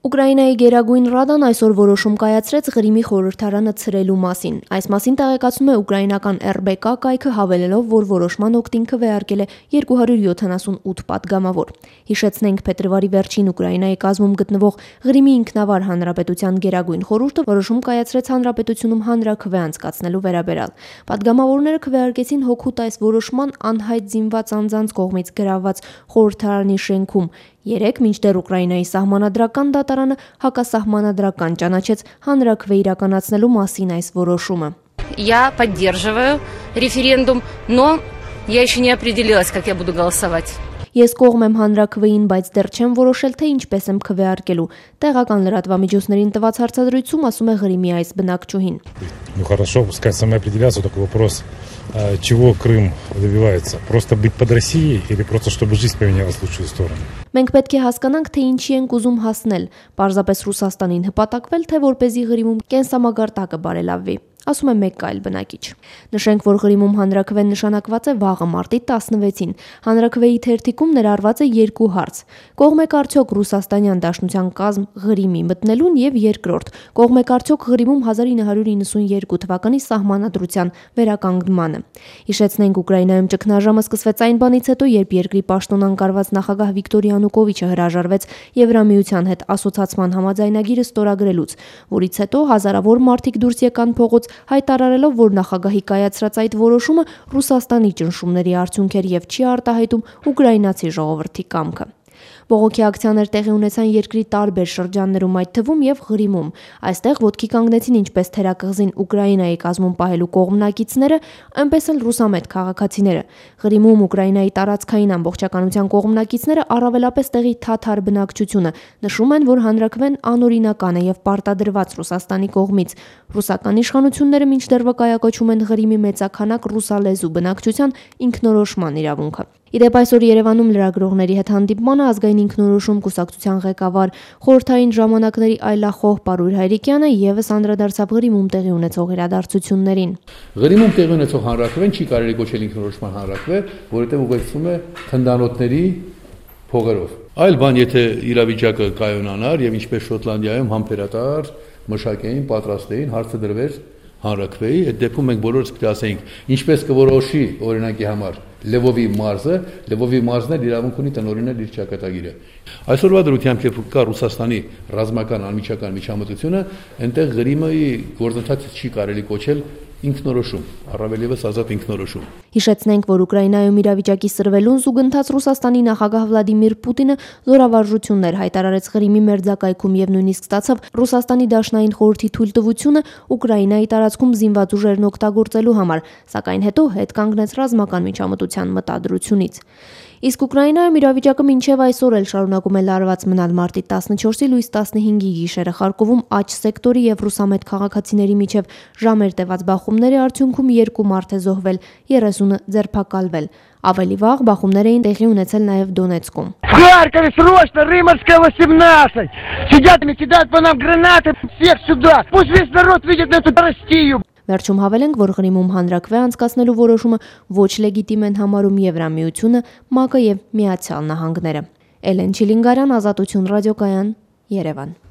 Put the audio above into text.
Ուկրաինայի Գերագույն Ռադան այսօր որոշում կայացրեց Ղրիմի խորհրդարանը ցրելու մասին։ Այս մասին տեղեկացնում է ուկրաինական RBK կայքը, հավելելով, որ որոշման օգտին քվեարկել է 278 պատգամավոր։ Հիշեցնենք, փետրվարի վերջին Ուկրաինայի կազմում գտնվող Ղրիմի ինքնավար հանրապետության Գերագույն խորհուրդը որոշում կայացրեց հանրապետությունում հանրաքվե անցկացնելու վերաբերյալ։ Պատգամավորները քվեարկեցին հօգուտ այս որոշման անհայտ զինված անձանց կողմից գրավված խորհրդարանի շենքում 3, մինչդեռ Ուկրաինայի սահմանադրական դատարանը հակասահմանադրական ճանաչեց հանրաքվե իրականացնելու մասին այս որոշումը։ Я поддерживаю референдум, но я еще не определилась, как я буду голосовать. Ես кողմ եմ հանրաքվեին, բայց դեռ չեմ որոշել, թե ինչպես եմ քվեարկելու։ Տեղական լրատվամիջոցներին տված հարցադրույցում ասում է Ղրիմի այս բնակչուհին։ Ну хорошо, пускай самоопределяться, только вопрос, чего Крым добивается? Просто быть под Россией или просто чтобы жизнь поменялась в лучшую сторону? Մենք պետք է հասկանանք, թե ինչի ենք ուզում հասնել, պարզապես Ռուսաստանին հպատակվել, թե որպեսզի Ղրիմում կենսամագարտակը բարելավվի, ասում է մեկ այլ բնակիչ։ Նշենք, որ Ղրիմում հանրաքվեն նշանակված է վաղը մարտի 16-ին։ Հանրաքվեի թերթիկում ներառված է 2 հարց. կողմ եք արդյոք Ռուսաստանյան Դաշնության կազմ Ղրիմի մտնելուն եւ երկրորդ. կողմ եք արդյոք Ղրիմում 1992 թվականի սահմանադրության վերականգնմանը։ Հիշեցնենք, Ուկրաինայում ճգնաժամը սկսվեց այն բանից հետո, երբ երկրի պաշտոն անկարված նախագահ Վիկտոր Յանուկովիչը հրաժարվեց Եվրամիության հետ ասոցացման համաձայնագիրը ստորագրելուց, որից հետո հազարավոր մարդիկ դուրս եկան փողոց, հայտարարելով, որ նախագահի կայացրած այդ որոշումը Ռուսաստանի ճնշումների արդյունք էր եւ չի արտահայտում ուկրաինացի ժողովրդի կամքը։ Բողոքի ակցիաներ տեղի ունեցան երկրի տարբեր շրջաններում, այդ թվում եւ Ղրիմում։ Այստեղ ոտքի կանգնեցին ինչպես թերակղզին Ուկրաինայի կազմում պահելու կողմնակիցները, այնպես էլ ռուսամետ քաղաքացիները։ Ղրիմում Ուկրաինայի տարածքային ամբողջականության կողմնակիցները առավելապես տեղի թաթար բնակչությունը նշում են, որ հանրաքվեն անօրինական է եւ պարտադրված Ռուսաստանի կողմից։ Ռուսական իշխանությունները մինչդեռ վկայակոչում են Ղրիմի մեծաքանակ ռուսալեզու բնակչության ինքնորոշման իրավունքը։ Իդեպ այսօր Երևանում լրագրողների հետ հանդիպմանը ազգային ինքնորոշում կուսակցության ղեկավար խորհրդային ժամանակների այլախոհ Պարույր Հայրիկյանը եւս անդրադարձավ Ղրիմում տեղի ունեցող իրադարձություններին։ Ղրիմում տեղի ունեցող հանրաքվեն չի կարելի կոչել ինքնորոշման հանրաքվե, որովհետեւ ուղեկցվում է թնդանոթների փողերով։ Այլ բան, եթե իրավիճակը կայունանար եւ ինչպես Շոտլանդիայում համբերատար մշակեին, պատրաստեին, հարցը դրվեր հանրաքվեի, այդ դեպքում մենք բոլորս պետք է ասենք, ինչպես կորոշի օրինակի համար Լևովի մարզը, Լևովի մարզն էլ իրավունք ունի տնօրինել իր ճակատագիրը։ Այսօրվա դրությամբ երբ կա Ռուսաստանի ռազմական անմիջական միջամտությունը, այնտեղ Ղրիմի գործընթացը չի կարելի կոչել ինքնորոշում, առավել եւս ազատ ինքնորոշում։ Հիշեցնենք, որ Ուկրաինայում իրավիճակի սրվելուն զուգընթաց Ռուսաստանի նախագահ Վլադիմիր Պուտինը զորավարժություններ հայտարարեց Ղրիմի մերձակայքում եւ նույնիսկ ստացավ Ռուսաստանի Դաշնային խորհրդի թույլտվությունը Ուկրաինայի տարածքում զինված ուժերն օգտագործելու համար, սակայն հետո հետ կանգնեց ռազմական միջամտության մտադրությունից։ Իսկ Ուկրաինայում իրավիճակը մինչև այսօր էլ շարունակում է լարված մնալ մարտի 14-ի լույս 15-ի գիշերը Խարկովում աջ սեկտորի եւ ռուսամետ քաղաքացիների միջև ժամեր տևած բախումների արդյունքում 2 մարդ է զոհվել, 30-ը ձերբակալվել։ Ավելի վաղ բախումներ էին տեղի ունեցել նաև Դոնեցկում։ В Харькове срочно, Рыморская 18! Сидят и кидают по нам гранаты, всех сюда! Пусть весь народ видит эту Россию! Վերջում հավելենք, որ Ղրիմում հանրաքվե անցկացնելու որոշումը ոչ լեգիտիմ են համարում Եվրամիությունը, ՄԱԿ-ը եւ Միացյալ Նահանգները։ Էլեն Չիլինգարյան, Ազատություն ռադիոկայան, Երևան։